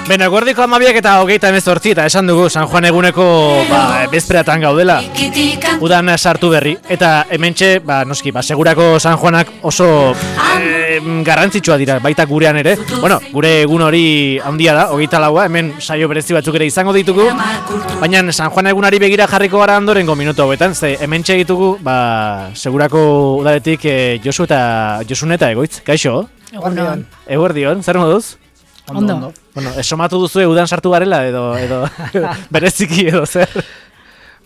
Beno, eguerdiko 12 eta 28 eta esan dugu San Juan eguneko bezperatan gaudela. Udan sartu berri eta hementxe, noski, segurako San Juanak oso garrantzitsua dira, baita gurean ere. Bueno, gure egun hori handia da, 24, hemen saio berezi batzuk ere izango ditugu. Baina San Juan egunari begira jarriko gara ondorengo minutu hauetan, ze hementxe ditugu, segurako udaletik Josune eta Egoitz. Kaixo? Eguerdion. Eguerdion, zer moduz? Ondo. Bueno, esomatu duzu udan sartu garela edo bereziki edo zer?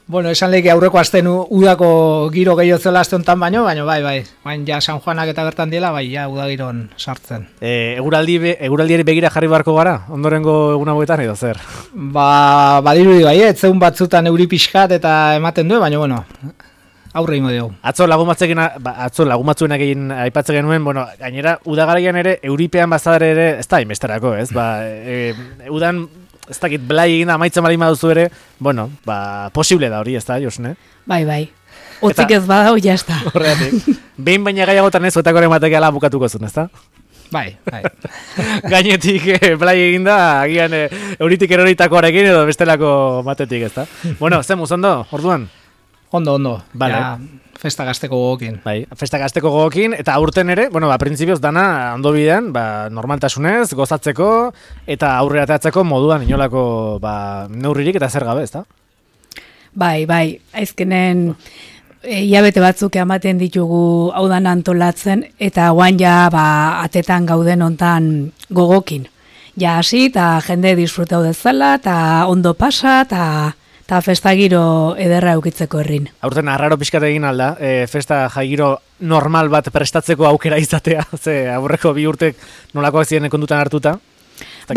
Bueno, esan lehik aurreko asten udako giro gehiago zela aste honetan baino, bai. Baina ja San Juanak eta bertan diela, bai, ja udagiron sartzen. Eguraldiari begira jarri beharko gara, ondorengo egun hauetan edo zer? Badirudi bai, etzeun batzutan euri pixkat eta ematen du, baina bueno, aurre ingo dugu. Atzo lagun egin aipatzen genuen, bueno, gainera udagaraian ere euripean bazadare ere ez da inbesterako, ez? Udan ez dakit blai egin amaitzen bali maduzu ere, bueno, posible da hori, ez da, Josune? Bai. Otzik ez badau, jazta. Horregatik. Behin baina gaiagotan ez, otakoren batekiala bukatuko zuen, ez da? Bai. Gainetik blai egin da, agian euritik eroritakoarekin edo bestelako matetik, ez da? Bueno, zemuz, ondo, orduan? Ondo. Vale. Ja, festa gazteko gogokin. Bai, festa gazteko gogokin, eta aurten ere, printzipioz dana ondo bidean, normaltasunez, gozatzeko, eta aurrera ateratzeko moduan inolako neurririk eta zer gabe, ezta? Bai, aizkenen hilabete batzuk ematen ditugu haudan antolatzen, eta guan ja atetan gauden hontan gogokin. Ja hasi, eta jende disfrutau dezala, eta ondo pasa, eta festa giro ederra eukitzeko herrin. Aurten arraro pixkat egin alda, festa jaigiro normal bat prestatzeko aukera izatea, ze aurreko 2 urtek nolakoak ziren kondutan hartuta?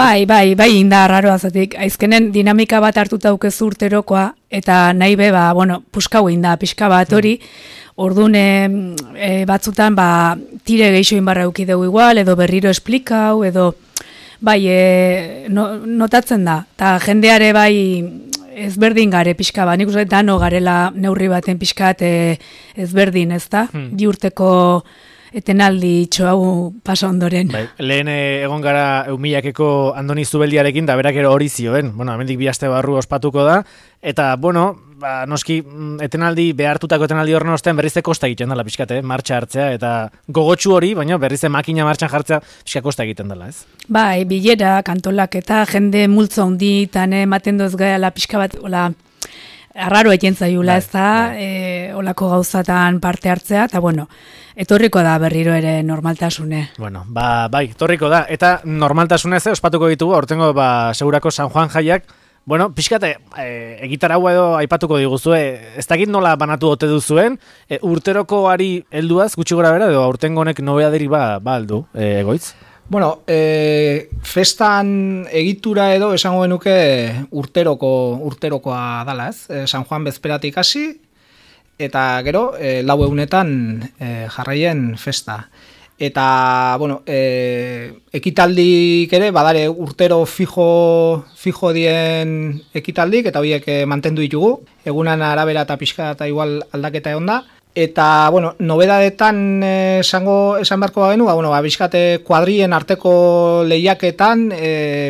Bai, inda arraro azatik. Aizkenen dinamika bat hartuta aukezu urterokoa, eta nahi be, puskau inda, pixka bat hori, ordune batzutan, tire geixo inbarra eukideu igual, edo berriro esplikau, edo, notatzen da, eta jendeare ezberdin gare pixka nik uste dano garela neurri baten pixkat ezberdin, ezta? Bi urteko etenaldi hau pasa ondoren. Lehen egon gara Eumilakeko Andoni Zubeldiarekin, da berak hori zioen. Hemendik 2 aste barru ospatuko da, eta, noski, behartutako etenaldi horren ostean berrize kosta egiten dela pixkat, martxa hartzea, eta gogotsu hori, baina berrize makina martxan jartzea pixka kosta egiten dela, ez? Bai, bilera, kantolak eta jende multzo handi, eta ematen doz gaela pixka bat, arraro egin zaiula, ez da, olako gauzatan parte hartzea, eta etorriko da berriro ere normaltasune. Bai, etorriko da, eta normaltasunez ospatuko ditugu, aurtengo segurako San Juan jaiak, pixkate, egitaragua edo aipatuko diguzue, ez dakit nola banatu ote duzuen, urterokoari helduaz, gutxi gora bera, edo aurtengo honek nobeaderi aldu, Egoitz? Festan egitura edo esango genuke urterokoa dala, ez? San Juan bezperatik hasi, eta gero, 4 egunetan jarraien festa. Eta, ekitaldik ere, badare urtero fijo dien ekitaldik, eta horiek mantendu ditugu, egunan arabera eta pixka eta igual aldaketa egon da. Eta, nobedadetan esan beharko bagenu, pixkate kuadrien arteko lehiaketan,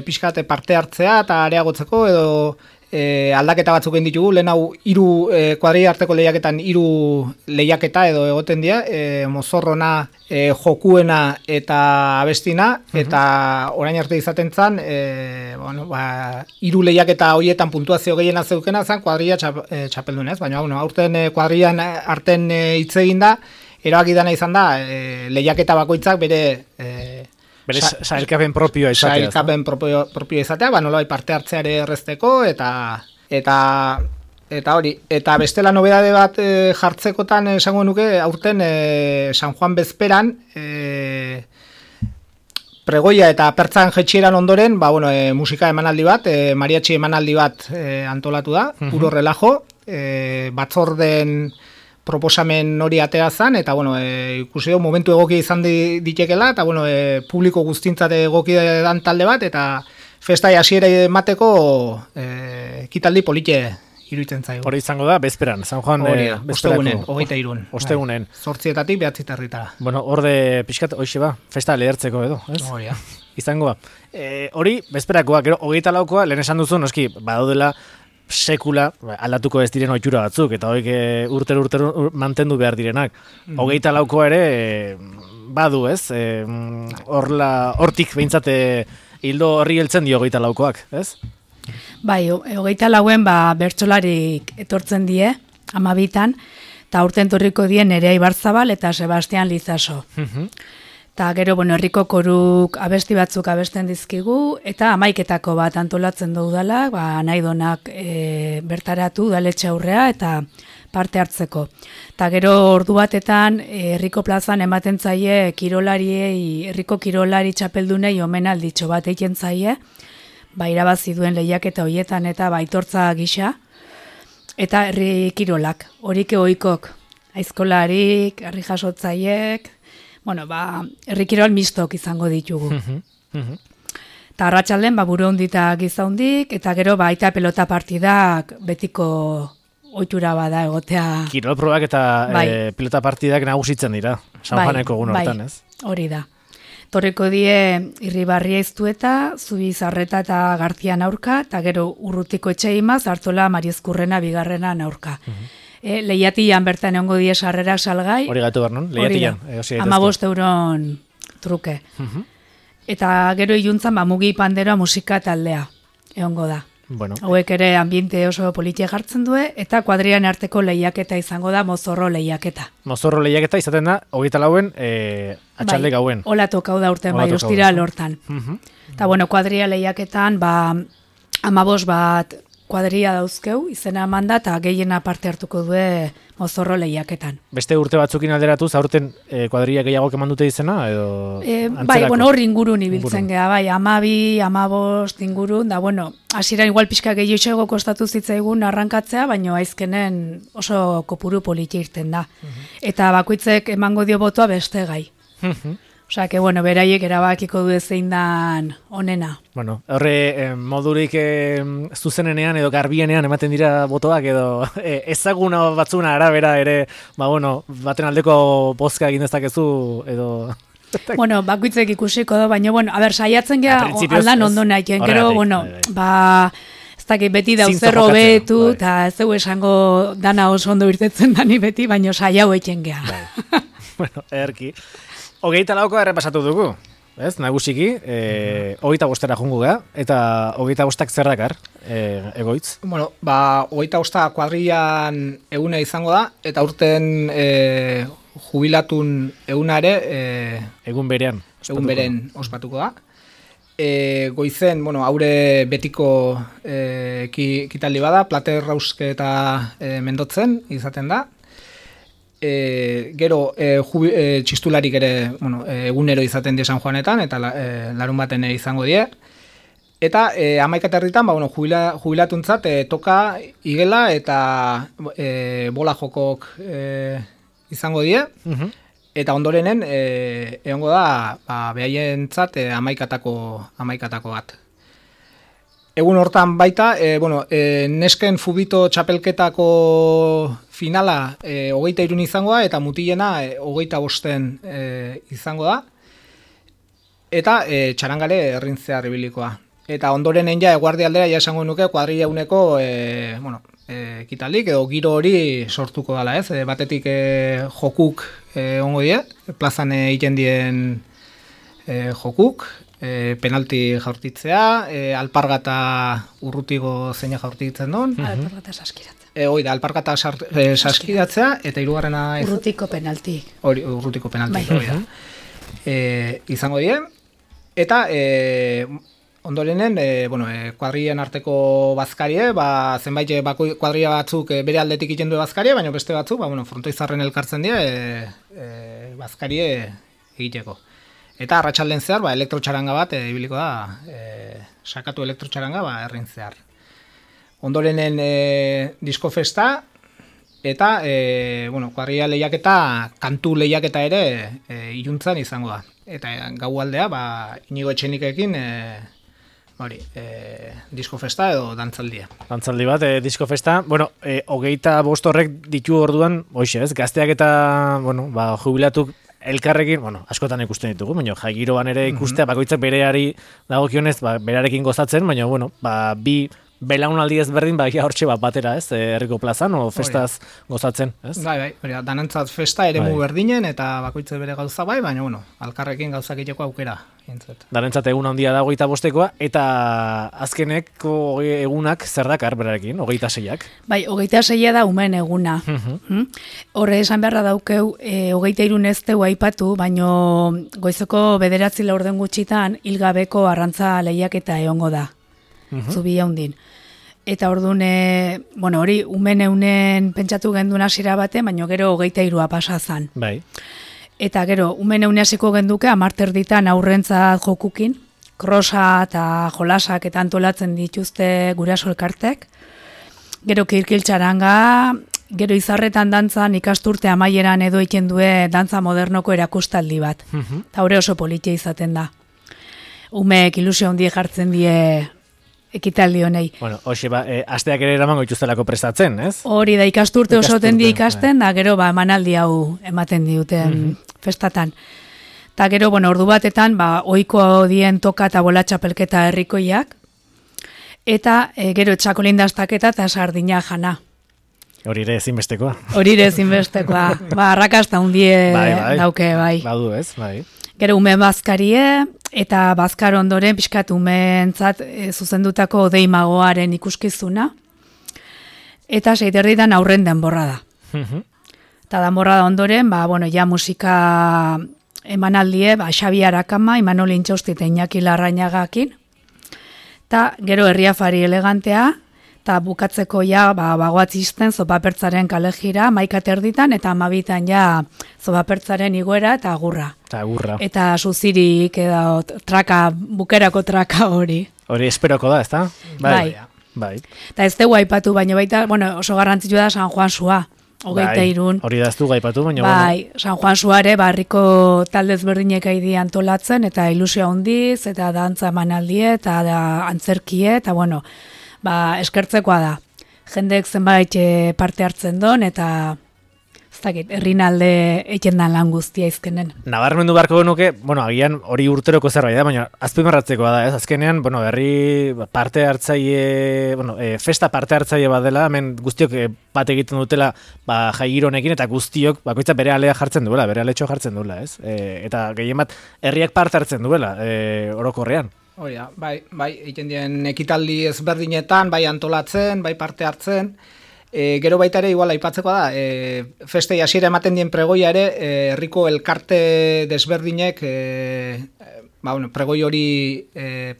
pixkate parte hartzea eta areagotzeko, edo aldaketa batzuk egin ditugu, lehen hau 3 kuadri arteko lehiaketan 3 lehiaketa edo egoten dira, mozorrona, jokuena eta abestina, eta orain arte izaten zan, 3 lehiaketa horietan puntuazio gehiena zeukena zan, kuadria txapeldunez, baina aurten kuadrian arten hitz egin da, erabaki dana izan da, lehiaketa bakoitzak bere sailkapen propioa izatea. Sailkapen propioa izatea, nolabait parte hartzeare errezteko, eta hori. Eta bestela nobedade bat jartzekotan esango nuke, aurten San Juan bezperan, pregoia eta pertzan jetxieran ondoren, musika emanaldi bat, mariachi emanaldi bat antolatu da, puro relajo, batzorden proposamen hori atera zan, eta ikusi dugu momentu egoki izan ditekela, eta publiko guztintzat egoki dan talde bat, eta festa hasiera emateko ekitaldi polite iruditzen zaigu. Hori izango da, bezperan, San Juan ostegunen, 23. Ostegunen. 8:00 9:00. Bueno, horde pixkat, hoxe ba, festa lehertzeko edo, ez? Hori, Izango ba. Hori, bezperakoa, gero, 24koa, lehen esan duzu, noski, badaudela sekula aldatuko ez diren ohitura batzuk, eta horiek urtero mantendu behar direnak. 24koa ere, badu, ez? Hortik behintzate hildo horri heltzen dio 24koak, ez? Bai, 24en bertsolarik etortzen die, 12tan, eta urten torriko dien Nerea Ibarzabal eta Sebastian Lizaso. Eta gero, herriko koruk abesti batzuk abesten dizkigu, eta 11etako bat antolatzen du udala, nahi donak bertaratu udaletxe aurrea eta parte hartzeko. Eta gero ordu batetan herriko plazan ematen zaie herriko kirolari txapeldunei omenalditxo bat egiten zaie, irabazi duen lehiaketa hoietan eta aitortza gisa, eta herri kirolak, horik ohikok, aizkolarik, herri jasotzaiek, herri kirol mistok izango ditugu. Eta arratsalden buru hondita giza hondik, eta gero aita pelota partidak betiko ohitura bada egotea. Kirol probak eta pelota partidak nagusitzen dira, San Juaneko egun hortan, ez? Hori da. Torreko die Irribarria Iztueta, Zubizarreta eta Garzian aurka, eta gero Urrutiko Etxeimaz, Artola Mariezkurrena bigarrena aurka. Lehiatian bertan egongo die sarrera salgai. Hori gatu behar non? Lehiatian. 15 euron truke. Eta gero iluntzan Mugi Panderoa musika taldea egongo da. Bueno. Hauek ere ambiente oso politia jartzen du, eta kuadrian arteko lehiaketa izango da mozorro lehiaketa. Mozorro lehiaketa izaten da, 24 atxalde gauen. Hola tokau da urten, ostira lortan. Eta kuadria lehiaketan, 15 bat kuadria dauzkeu, izena emanda, eta gehiena parte hartuko du mozorro lehiaketan. Beste urte batzukin alderatuz, aurten kuadria gehiagok eman dute izena, edo antzerako? Hor ingurun ibiltzen geha, 12, 15 ingurun, da, hasiera igual pixka gehiago kostatu zitzaigun arrankatzea, baina aizkenen oso kopuru politia irten da. Eta bakoitzek emango dio botoa beste gai. Osea, beraiek erabakiko du zein dan onena. Horre modurik zuzenenean edo garbienean ematen dira botoak edo ezaguna batzuna arabera ere, baten aldeko bozka egin dezakezu edo... Bakoitzek ikusiko da, baina, saiatzen geha aldan ondo nahiken, gero, ez dakit beti dauzerro betu, eta ez dugu esango dana oso ondo irtetzen dani beti, baina saiau eken geha. Erki. 24koa errepasatu dugu, ez, nagusiki, 25 jungu geha, eta 25ak zer dakar, egoitz? 25 kuadrian eguna izango da, eta urten jubilatun eguna ere egun berean ospatuko da. Goizen, haure betiko ekitaldi bada, plater rauske eta mendotzen izaten da. Gero txistularik ere egunero izaten die San Juanetan, eta larun baten izango die. Eta 11 herritan jubilatuntzat toka igela eta bola jokok izango die. Eta ondorenen egongo da behaientzat 11etako bat. Egun hortan baita, nesken fubito txapelketako finala 23 izango da, eta mutilena 25 izango da, eta txarangale errintzear ibilikoa. Eta ondorenen eguardi aldera esango nuke kuadrilla uneko ekitaldik edo giro hori sortuko dela, ez? Batetik jokuk ongo die, plazan egiten dien jokuk, penalti jaurtitzea, alpargata urrutigo zeina jaurtitzen duen. Alpargata saskiratzea. Oida, alpargata saskiratzea, eta hirugarrena... Urrutiko penalti. Urrutiko penalti, oida. Izango die, eta ondorenen, kuadrien arteko bazkarie, zenbait kuadria batzuk bere aldetik egiten du bazkarie, baina beste batzuk, frontoizarren elkartzen die, bazkarie egiteko. Eta arratsalden zehar, elektrotxaranga bat ibiliko da, sakatu elektrotxaranga errin zehar. Ondorenen diskofesta, eta kuadrilla lehiaketa, kantu lehiaketa ere iluntzan izango da. Eta gau aldea, Inigo Etxenikekin hori, disko festa edo dantzaldia. Dantzaldi bat, disko festa. Bueno, 25 horrek ditu orduan, hoxe ez, gazteak eta, bueno, jubilatuk elkarrekin, bueno, askotan ikusten ditugu, baina jaigiroan ere ikustea, bakoitzak bereari dagokionez, berarekin gozatzen, baina, bueno, bi belaunaldi ezberdin hortxe batera, ez? Herriko plazan o festaz gozatzen, ez? Bai, hori danentzat festa eremu berdinen eta bakoitze bere gauza baina bueno, alkarrekin gauzak egiteko aukera. Danentzat egun handia da 25koa eta azkeneko egunak zer dakar berarekin, 26ak? Bai, 26a da umen eguna. Horre esan beharra daukeu, 23 ez deu aipatu, baino goizeko 9 laurden gutxitan hilgabeko arrantza lehiaketa egongo da. Zubia hundin. Eta orduan, bueno, hori umen pentsatu genduna hasiera baten, baina gero 23a pasa zan. Bai. Eta gero, umen hasiko genduke, 10 ditan aurrentzat jokukin, krosa eta jolasak eta antolatzen dituzte guraso elkartek. Gero kirkiltxaranga, gero izarretan dantzan ikasturte amaieran edo egiten due dantza modernoko erakustaldi bat. Eta hori oso politia izaten da. Umeek ilusio handi jartzen die ekitaldi honei. Bueno, hoxe asteak ere eramango dituztelako prestatzen, ez? Hori da, ikasturte oso tendi ikasten, da gero emanaldi hau ematen diuten festatan. Ta gero, bueno, ordu batetan, ohiko dien toka eta bola txapelketa herrikoiak, eta gero txakolindastaketa eta sardina jana. Hori ere ezinbestekoa. Arrakasta hundie dauke, bai. Badu ez, bai. Gero ume bazkarie, eta bazkar ondoren pixkat umeentzat zuzendutako deimagoaren ikuskizuna. Eta 6:30 aurren denborra da. Eta denborra da ondoren, ja musika emanaldie, Xabi Arakama, Imanol Intxausti eta Iñaki Larrañagakin. Eta gero herriafari elegantea, eta bukatzeko bagoatzisten zopapertzaren kalejira, 11:00 eta 12:00 zopapertzaren igoera eta agurra. Eta suzirik edo bukerako traka hori. Hori esperoko da, ezta? Bai. Eta ez dugu aipatu, baina baita, bueno, oso garrantzitsua da San Juan Sua. 23. Hori da ez dugu aipatu, baina bai, San Juan Suare barriko talde ezberdinek aidi antolatzen, eta ilusio handiz, eta dantza emanaldie, eta antzerkie, eta bueno, eskertzekoa da. Jendeek zenbait parte hartzen don, eta herrinalde egiten dan lan guztia izkenen. Nabarmendu beharko genuke, bueno, agian hori urteroko zerbait da, baina azpimarratzekoa da, ez? Azkenean, bueno, herri parte hartzaile, festa parte hartzaile bat dela, hemen guztiok bat egiten dutela jaigiro honekin, eta guztiok bakoitza bere alea jartzen duela, bere aletxo jartzen duela, ez? Eta gehien bat, herriak parte hartzen duela, orokorrean. Hori da, bai, egiten dien ekitaldi ezberdinetan, bai antolatzen, bai parte hartzen. Gero baita ere, igual aipatzeko da, festei hasiera ematen dien pregoia ere, herriko elkarte desberdinek pregoi hori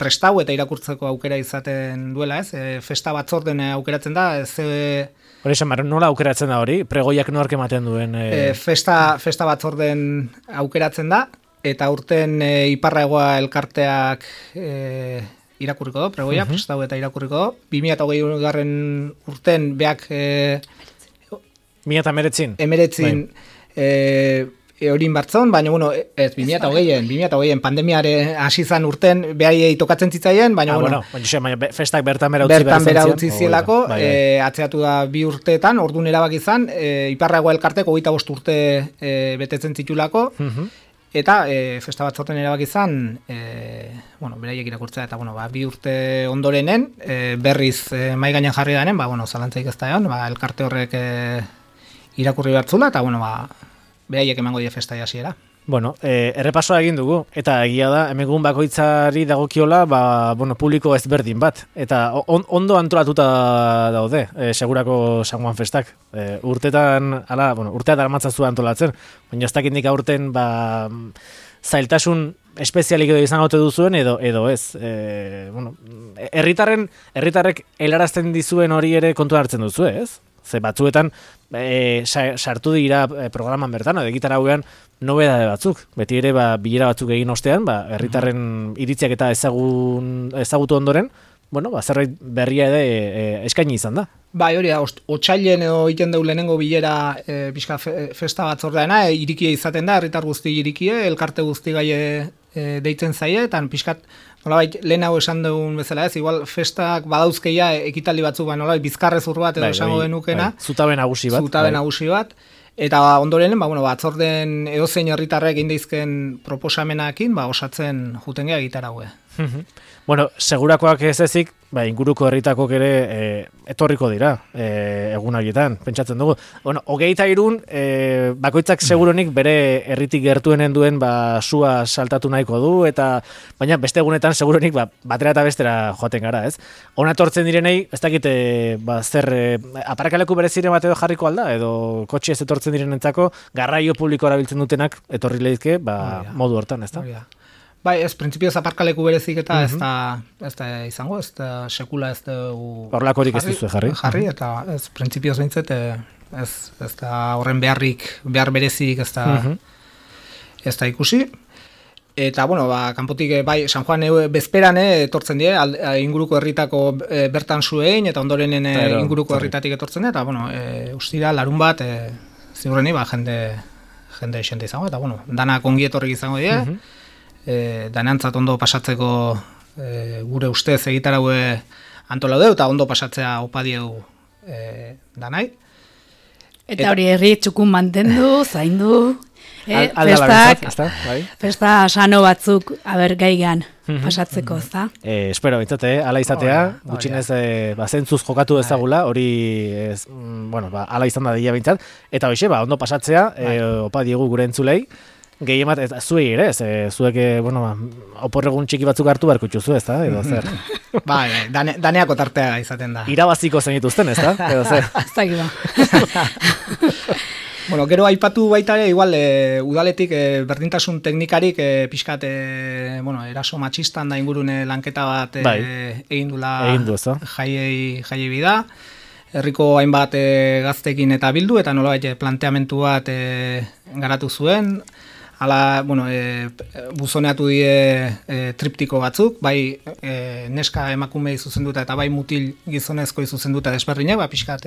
prestau eta irakurtzeko aukera izaten duela, ez? Festa batzorden aukeratzen da, ez... Hori esan, nola aukeratzen da hori? Pregoiak nork ematen duen? Festa batzorden aukeratzen da, eta urten Iparraegoa elkarteak irakurriko do, pregoia, prestau eta irakurriko do. 2020 urten beak... 2019? Horin bartzon, baina, bueno, ez, 2020 pandemiare hasi zan urten, behai tokatzen zitzaien, baina, festak bertan bera utzi zielako, atzeatu da 2 urteetan, orduan erabak izan, Iparraegoa elkarteko 25 urte betetzen zitulako, eta festa batzorten erabak izan, beraiek irakurtzea, eta 2 urte ondorenen, berriz mai gainean jarri denen, zalantzaik ez da egon, elkarte horrek irakurri bertzula, eta beraiek emango die festa hasiera. Bueno, errepasoa egin dugu, eta egia da, emegun bakoitzari dagokiola, publiko ezberdin bat, eta ondo antolatuta daude, segurako San Juan festak. Urteetan armatzazu antolatzen, baina ez dakindik aurten, zailtasun espezialik edo izan gaute duzuen, edo ez. Herritarrek helarazten dizuen hori ere kontu hartzen duzu, ez? Ze batzuetan sartu dira programan bertan, edo gitara hauean nobedade batzuk. Beti ere bilera batzuk egin ostean, herritarren iritziak eta ezagutu ondoren, zerbait berria ere eskaini izan da. Bai, hori da, otsailen edo egiten deu lehenengo bilera festa batzordeana, irikie izaten da, herritar guzti irikie, elkarte guzti gai deitzen zaie, eta pixkat, nolabait, lehen hau esan dugun bezala ez, igual festak badauzkeia ekitaldi batzuk, nolabait, bizkarrezur bat edo esango denukena. Zutabe nagusi bat. Eta ondoren, batzorden edozein herritarrek egin daizken proposamenakin, osatzen juten gea gitar haue. Bueno, segurakoak ez ezik, inguruko herritakok ere etorriko dira egun horietan, pentsatzen dugu. Bueno, 23 bakoitzak seguronik bere herritik gertuenen duen sua saltatu nahiko du, baina beste egunetan seguronik batera eta bestera joaten gara, ez? Hona etortzen direnei, ez dakit zer aparkaleku bereziren bat edo jarriko alda, edo kotxe ez etortzen direnentzako garraio publiko erabiltzen dutenak etorri lehizke modu hortan, ez da? Bai, ez, printzipioz aparkaleku berezik eta ez da izango, ez da sekula ez dugu... Horlakorik ez duzu jarri. Eta ez, printzipioz behintzet, ez da horren behar berezik ez da ikusi. Eta, bueno, kanpotik, San Juan bezperan etortzen die, inguruko herritako bertan zuein, eta ondorenen inguruko herritatik etortzen die, eta, bueno, ustira, larun bat, ziurreni, jende esente izango, eta, bueno, danak ongi etorrik izango die, danantzat ondo pasatzeko gure ustez egitaraue antolaude eta ondo pasatzea opa diegu danai. Eta hori herri txukun mantendu, zaindu, festa sano batzuk gaigan pasatzeko, ez da? Espero, bintzate, ala izatea, gutxinez zentzuz jokatu ezagula, hori, ala izan da dira bintzat, eta hoxe, ondo pasatzea, opa diegu gure entzulei, gehiemat, zuei ere, zuek, oporregun txiki batzuk hartu beharko itxuzu, ez da, edo zer. Daneako tartea izaten da. Irabaziko zenituzten, ez da, edo zer. Ez da, Bueno, gero aipatu baita ere, igual, udaletik berdintasun teknikarik pixkat, eraso matxistan da ingurune lanketa bat egin du, jaiei bida. Herriko hainbat gaztekin eta bildu, eta nolabait planteamentu bat garatu zuen. Hala, buzoneatu die triptiko batzuk, bai neska emakumei zuzenduta eta bai mutil gizonezkoi zuzenduta desberdinak, pixkat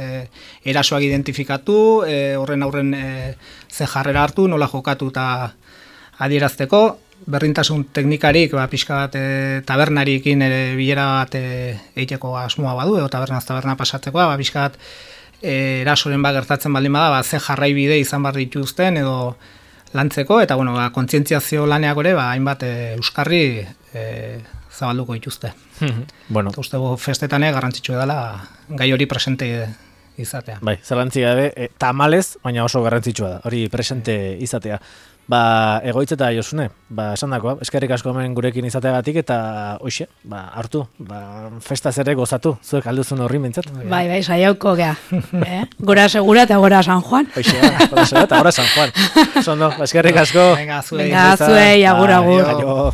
erasoak identifikatu, horren aurren ze jarrera hartu, nola jokatu eta adierazteko, berdintasun teknikarik, pixkat tabernariekin bilera bat egiteko asmoa badu, edo taberna pasatzeko, pixkat erasoren gertatzen baldin bada, ze jarraibide izan behar dituzten, edo lantzeko, eta kontzientziazio laneak ere, hainbat euskarri zabalduko dituzte. Ustego festetan garrantzitsu edala gai hori presente izatea. Bai, zalantzi gabe, tamalez, baina oso garrantzitsua da, hori presente izatea. Egoitz eta Josune, esan dakoa, eskerrik asko hemen gurekin izateagatik, eta hoxe, hartu, festaz ere gozatu, zuek alduzun horri mintzat. Bai, saiauko gea. Gora segura eta gora San Juan. Hoxe, gora segura eta gora San Juan. Zondo, eskerrik asko. Venga, zuei, agur.